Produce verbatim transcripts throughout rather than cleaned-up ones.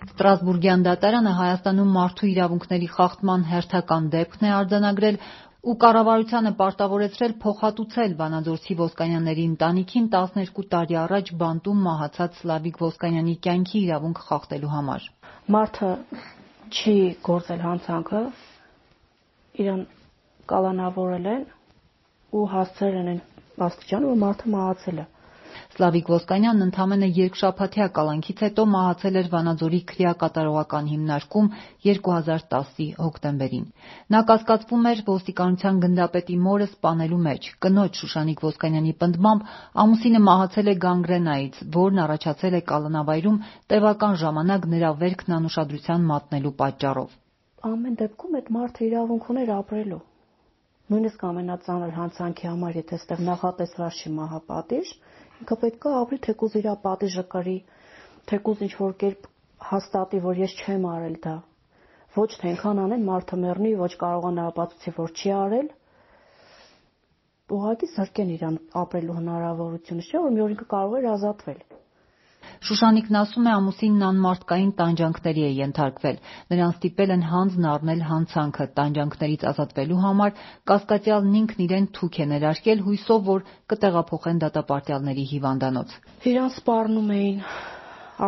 Ստրասբուրգյան դատարանը Հայաստանում մարդու իրավունքների խախտման հերթական դեպքն է արձանագրել ու կառավարությանը պարտավորեցրել փոխհատուցել Վանաձորցի Ոսկանյանների ընտանիքին տասներկու տարի առաջ բանտում մահացած Սլավիկ Ոսկանյանի կյանքի իրավունք խախտելու համար։ Մարդը չի գործել հանցանքը, իրան կալանավորել են ու հասցրել են այն աստիճանը, որ մարդը մահացել է։ Սլավիկ Ոսկանյանն ընդամենը երկշաբաթյա կալանքից հետո մահացել էր Վանաձորի քրեակատարողական հիմնարկում երկու հազար տասի հոկտեմբերին։ Նա կասկածվում էր ոստիկանության գնդապետի մորը սպանելու մեջ։ Կնոջ Շուշանիկ Ոսկանյանի պնդմամբ ամուսինը մահացել է գանգրենայից, որն առաջացել է կալանավայրում տևական ժամանակ նրա վերքն անուշադրության մատնելու պատճառով։ Ամեն դեպքում այդ մարդը իրավունք ուներ ապրելու։ Նույնիսկ ամենածանր հանցանքի համար, եթե այստեղ նախատեսված չի մահապատիժ, ինքը պետք է ապրի, թեկուզ իր պատիժը կրի, թեկուզ ինչ-որ կերպ հաստատի, որ ես չեմ արել դա։ Ոչ թե այնքան անեն մարդը մեռնի, ոչ կարողանա ապացուցի, որ չի արել, ուղղակի զրկեն իրան ապրելու հնարավորությունը, չէ՞ որ մի օր ինքը կարող էր ազատվել։ Շուշանիկն ասում է, ամուսինն անմարդկային տանջանքների է ենթարկվել։ Նրան ստիպել են հանձն առնել հանցանքը։ Տանջանքներից ազատվելու համար կասկածյալն ինքն իրեն թուք է ներարկել, հույսով, որ կտեղափոխեն դատապարտյալների հիվանդանոց։ Իրան սպառնում էին,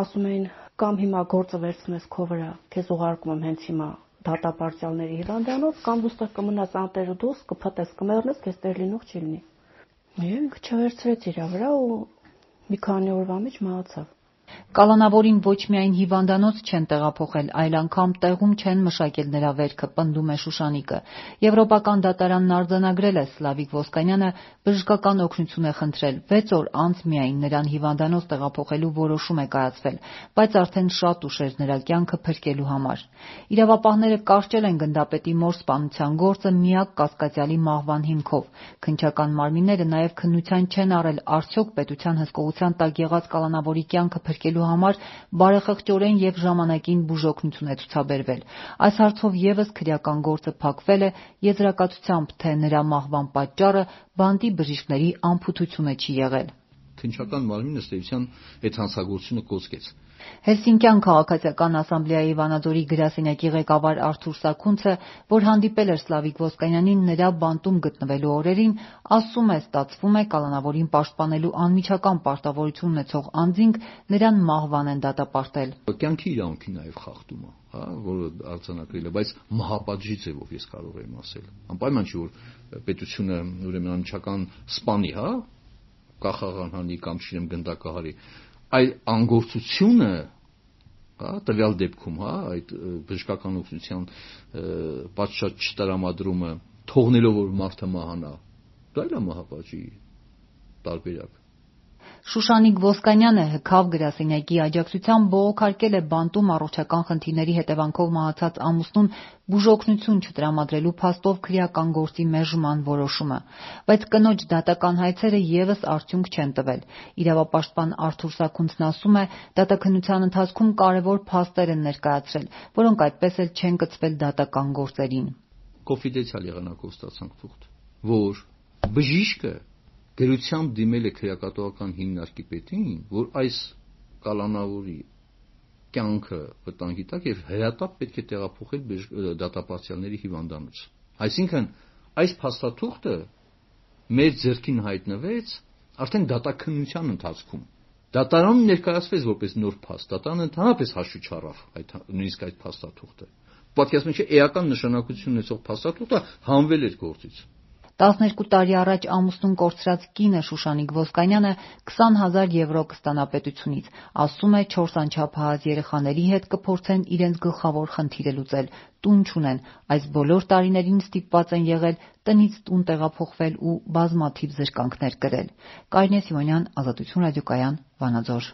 ասում էին, կամ հիմա գործը վերցնես քո վրա, քեզ ուղարկում եմ հենց հիմա դատապարտյալների հիվանդանոց, կամ դու ստեղ կմնաս անտեր ու դուրս, կփտես, կմեռնես, քեզ տեղ լինող չի լինի։ Եվ ինքը չվերցրեց իր վրա ու մի քանի օրվա մեջ մահացավ։ Կալանավորին ոչ միայն հիվանդանոց չեն տեղափոխել, այլ անգամ տեղում չեն մշակել նրա վերքը, պնդում է Շուշանիկը։ Եվրոպական դատարանն արձանագրել է Սլավիկ Ոսկանյանը բժշկական օգնություն է խնդրել։ վեց օր անց միայն նրան հիվանդանոց տեղափոխելու որոշում է կայացվել, բայց արդեն շատ ուշ էր նրա կյանքը փրկելու համար։ Իրավապահները կարճել են գնդապետի մոր սպանության գործը միակ կասկածյալի մահվան հիմքով։ Քննչական մարմինները նաև քննության չեն առել արդյոք պետության հսկողության տակ եղած կալանավորի կյանքը փրկելու համար բարեխղճորեն եւ ժամանակին բուժօգնություն է ցուցաբերվել։ Այս հարցով եւս քրեական գործը փակվել է եզրակացությամբ, թե նրա մահվան պատճառը բանտի բժիշկների անփութությունը չի եղել։ Քննչական մարմինը ըստ էության այդ հանցագործությունը կոծկեց։ Հելսինկյան քաղաքացիական ասամբլեայի Վանաձորի գրասենյակի ղեկավար Արթուր Սաքունցը, որ հանդիպել էր Սլավիկ Ոսկանյանին նրա բանտում գտնվելու օրերին, ասում է, ստացվում է կալանավորին պաշտպանելու անմիջական պարտավորություն ունեցող անձինք նրան մահվան են դատապարտել։ Կյանքի իրավունքի նաև խախտում է, հա, որը արձանագրել է, բայց մահապատժի ձևով ես կարող եմ ասել։ Անպայման չի, որ պետությունը ուրեմն անմիջական սպանի, հա, կախաղանհանի կամ չինեմ գնդակահարի, այլ անգործությունը, հա, տվյալ դեպքում, հա, այդ բժշկական օգնության պատշաճ չտրամադրումը, թողնելով որ մարդը մահանա, դա էլ է մահապատժի տարբերակ։ Շուշանիկ Ոսկանյանը հքավ գրասենյակի աջակցությամբ բողոքարկել է բանտում առողջական խնդիրների հետևանքով մահացած ամուսնուն բուժօգնություն չտրամադրելու փաստով քրեական գործի մերժման որոշումը, բայց կնոջ դատական հայցերը եւս արդյունք չեն տվել։ Իրավապաշտպան Արթուր Սաքունցն ասում է, դատաքննության ընթացքում կարևոր փաստեր են ներկայացրել, որոնք այդպես էլ չեն կցվել դատական գործերին։ Կոնֆիդենցիալ եղանակով ստացանք թուղթ, որ բժիշկը գրությամբ դիմել է քրեակատողական հիմնարկի պետին, որ այս կալանավորի կյանքը վտանգի տակ եւ հրատապ պետք է տեղափոխել դատապարտյալների հիվանդանոց։ Այսինքն այս փաստաթուղթը մեր ձեռքին հայտնվեց արդեն դատաքննության ընթացքում։ Դատարանում ներկայացվեց որպես նոր փաստ, դատարանը ընդհանրապես հաշվի չառավ այդ նույնիսկ այդ փաստաթուղթը։ Պատկերացնում եք, էական նշանակություն ունեցող փաստաթուղթը հանվել էր գործից։ տասներկու տարի առաջ ամուսնուն կորցրած կինը Շուշանիկ Ոսկանյանը քսան հազար եվրո կստանա պետությունից։ Ասում է, չորս անչափահաս երեխաների հետ կփորձեն իրենց գլխավոր խնդիրը լուծել։ Տուն չունեն։ Այս բոլոր տարիներին ստիպված են եղել տնից տուն տեղափոխվել ու բազմաթիվ զրկանքներ կրել։ Կարինե Սիմոնյան, Ազատություն ռադիոկայան, Վանաձոր։